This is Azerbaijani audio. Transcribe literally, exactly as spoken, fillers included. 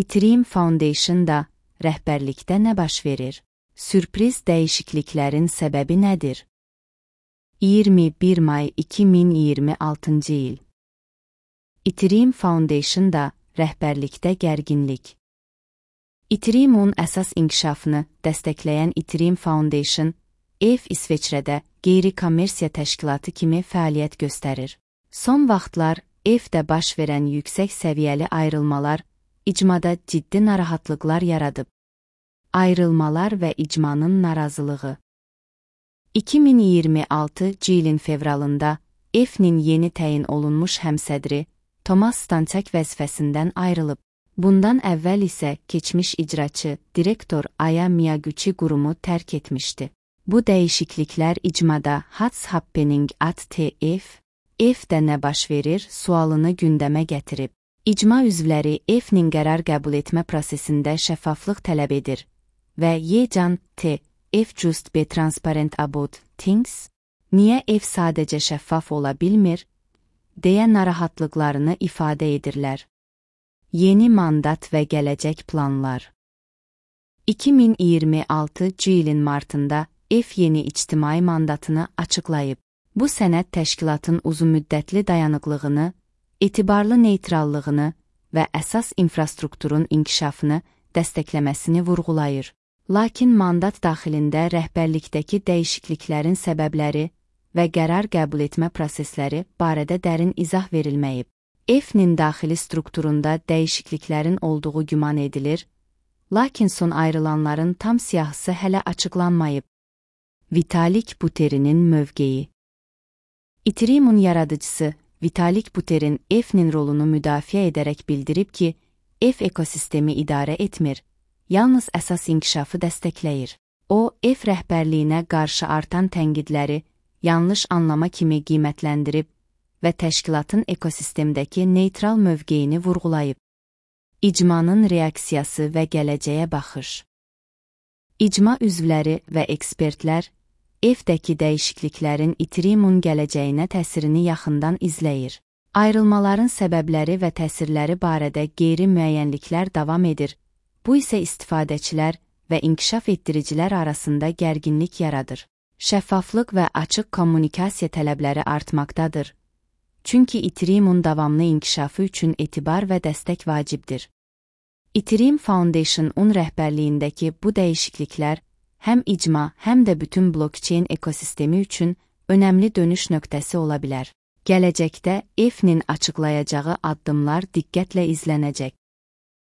Ethereum Foundation-da rəhbərlikdə nə baş verir? Sürpriz dəyişikliklərin səbəbi nədir? iyirmi bir may iki min iyirmi altıncı il. Ethereum Foundation-da rəhbərlikdə gərginlik. Ethereum-un əsas inkişafını dəstəkləyən Ethereum Foundation, E F İsveçrədə qeyri-kommersiya təşkilatı kimi fəaliyyət göstərir. Son vaxtlar E F-də baş verən yüksək səviyyəli ayrılmalar icmada ciddi narahatlıqlar yaradıb. Ayrılmalar və icmanın narazılığı. iki min iyirmi altıncı ilin fevralında E F-nin yeni təyin olunmuş həmsədri Thomas Stanchak vəzifəsindən ayrılıb. Bundan əvvəl isə keçmiş icraçı direktor Aya Miyaguchi qurumu tərk etmişdi. Bu dəyişikliklər icmada What's happening at T F? E F-də nə baş verir sualını gündəmə gətirib. İcma üzvləri E F-nin qərar qəbul etmə prosesində şəffaflıq tələb edir və Yecan T F just be transparent about things? Niyə E F sadəcə şəffaf ola bilmir? deyə narahatlıqlarını ifadə edirlər. Yeni mandat və gələcək planlar. iki min iyirmi altıncı ilin martında E F yeni ictimai mandatını açıqlayıb. Bu sənəd təşkilatın uzunmüddətli dayanıqlığını, etibarlı neytrallığını və əsas infrastrukturun inkişafını dəstəkləməsini vurğulayır. Lakin mandat daxilində rəhbərlikdəki dəyişikliklərin səbəbləri və qərar qəbul etmə prosesləri barədə dərin izah verilməyib. E F-nin daxili strukturunda dəyişikliklərin olduğu güman edilir, lakin son ayrılanların tam siyahısı hələ açıqlanmayıb. Vitalik Buterin'in mövqeyi. Ethereum-un yaradıcısı Vitalik Buterin E F-nin rolunu müdafiə edərək bildirib ki, E F ekosistemi idarə etmir, yalnız əsas inkişafı dəstəkləyir. O, E F rəhbərliyinə qarşı artan tənqidləri yanlış anlama kimi qiymətləndirib və təşkilatın ekosistemdəki neytral mövqeyini vurğulayıb. İcmanın reaksiyası və gələcəyə baxış. İcma üzvləri və ekspertlər E F-dəki dəyişikliklərin Ethereum-un gələcəyinə təsirini yaxından izləyir. Ayrılmaların səbəbləri və təsirləri barədə qeyri-müəyyənliklər davam edir. Bu isə istifadəçilər və inkişaf etdiricilər arasında gərginlik yaradır. Şəffaflıq və açıq kommunikasiya tələbləri artmaqdadır. Çünki Ethereum-un davamlı inkişafı üçün etibar və dəstək vacibdir. Ethereum Foundation-un rəhbərliyindəki bu dəyişikliklər həm icma, həm də bütün blockchain ekosistemi üçün önəmli dönüş nöqtəsi ola bilər. Gələcəkdə E F-nin açıqlayacağı addımlar diqqətlə izlənəcək.